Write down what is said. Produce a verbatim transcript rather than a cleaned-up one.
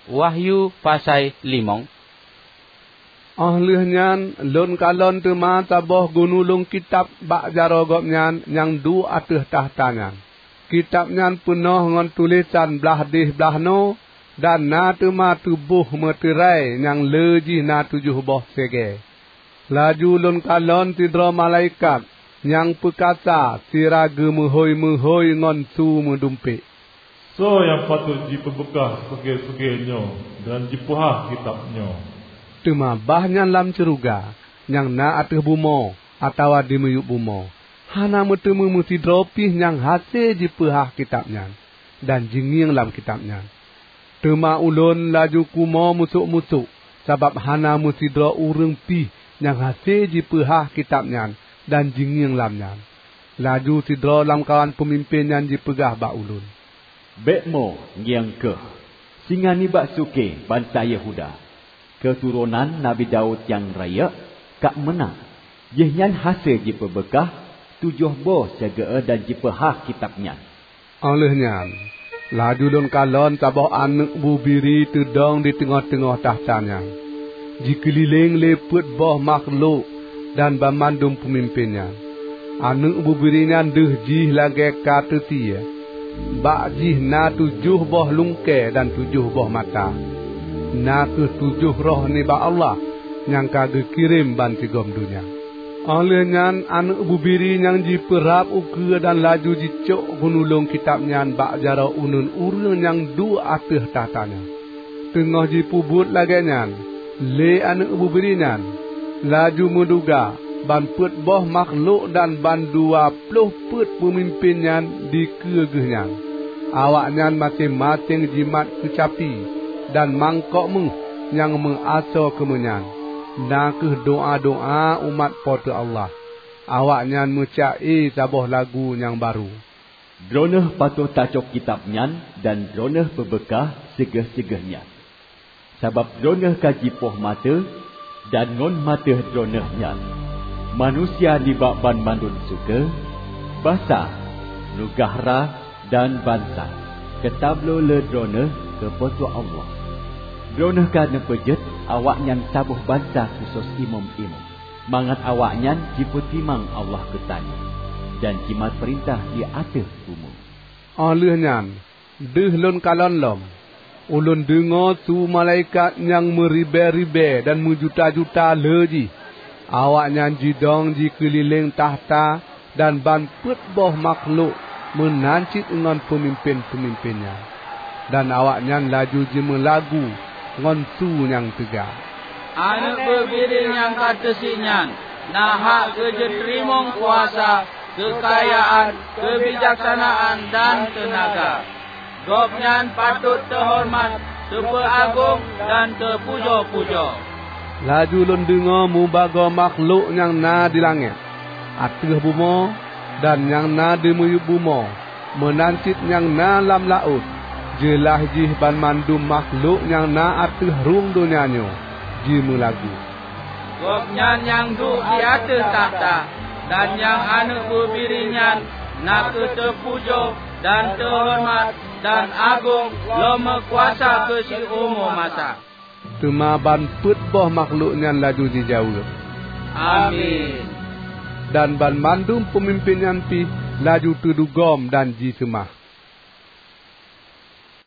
Wahyu pasai limong. Óh lheueh nyan lôn kalon teuma saboh gunulong kitab bak jaroe gobnyan nyang duek ateueh takhta nyan. Kitab nyan peunoh ngon tulésan blaih deh blaih noe, dan na teuma tuboh meuterai nyang le jih na tujoh boh segée. Laju lôn kalon sidroe malaikat nyang peukasa sira geumeuhôi-meuhôi ngon su meudumpék, "Soe nyang patot jipeubeukah sugée-sugée nyoe dan jipeuhah kitab nyoe?" Teuma bah nyan lam syeuruga, nyang na ateueh bumoe, atawa di miyueb bumoe, hana meuteumé meusidroe pih nyang hase jipeuhah kitab nyan, dan jingieng lam kitab nyan. Teuma ulôn laju kumo musôk-musôk, sabab hana meusidroe ureuëng pih nyang hase jipeuhah kitab nyan dan jingieng lam nyan. Laju sidroe lamkawan peumimpén nyan jipeugah bak ulôn, "Bék mo, ngieng kheueh! Singoh nibak sukée bansa Yehuda, keuturonan Nabi Daud nyang rayeuk, ka meunang. Jihnyan hase jipeubeukah tujoh boh segée dan jipeuhah kitab nyan." Óh lheueh nyan, laju lôn kalon saboh aneuëk bubiri teudong di teungoh-teungoh takhta nyan, jikeulileng lé peuet boh makhlok dan banmandum peumimpén nyan. Aneuëk bubiri nyan deuh jih lagée ka teusie. Bak jih na tujoh boh lungkée dan tujoh boh mata, na kheueh tujoh roh nibak Allah nyang ka geukirém bansigom donya. Óh lheueh nyan aneuëk bubiri nyang jipeurab ukeue dan laju jicok gunulong kitab nyan bak jaroe uneuen ureuëng nyang duek ateueh takhta nyan. Teungoh jipeubuet lagée nyan lé aneuëk bubiri nyan, laju meuduga ban peuet boh makhlok dan bandua ploh peuet peumimpén nyan dikeue geuh nyan. Awaknyan maséng-maséng jimat keucapi dan mangkok méuh nyang meuasoe keumeunyan, na kheueh doá-doá umat Po teu Allah. Awaknyan meuca-e saboh lagu nyang barô, "Droeneueh patot tacok kitab nyan dan droeneueh peubeukah sigeh-sigeh nyan. Sabab droeneueh ka jipoh maté, dan ngon maté droeneueh nyan, manusia nibak banmandum sukée, basa, neugahra, dan bansa, geutabloe lé droeneueh keu Po teu Allah. Droeneueh ka neupeujeuet awaknyan saboh bansa khusos imeum-imeum, mangat awaknyan jipeutimang Allah geutanyoe, dan jimat peurintah di ateueh bumoe." Óh lheueh nyan, deuh lôn kalon lom, ulôn deungoe su malaikat nyang meuribée-ribée dan meujuta-juta le jih. Awaknyan jidong jikeulileng takhta dan ban peuet boh makhlok meunan cit ngon peumimpén-peumimpén nyan. Dan awaknyan laju jimeulagu ngon su nyang teuga, "Aneuëk Bubiri nyang ka teusie nyan na hak keu jiteurimong kuasa, keukayaan, keubijaksanaan, dan teunaga. Gobnyan patot teuhoreumat, teupeuagong, dan teupujoe-pujoe." Laju lôn deungoe mubagoe makhlok nyang na di langét, ateueh bumoe, dan nyang na di miyueb bumoe, meunan cit nyang na lam laôt, jeulaih jih banmandum makhlok nyang na ateueh rhueng donya nyoe, jimeulagu, "Gobnyan nyang duek di ateueh takhta dan nyang Aneuëk Bubiri nyan na kheueh teupujoe dan teuhoreumat dan agong lom meukuasa keu siumu masa." Teuma ban peuet boh makhlok nyan laju jijaweueb, "Amin!" Dan banmandum peumimpén nyan pih laju teudugom dan jiseumah.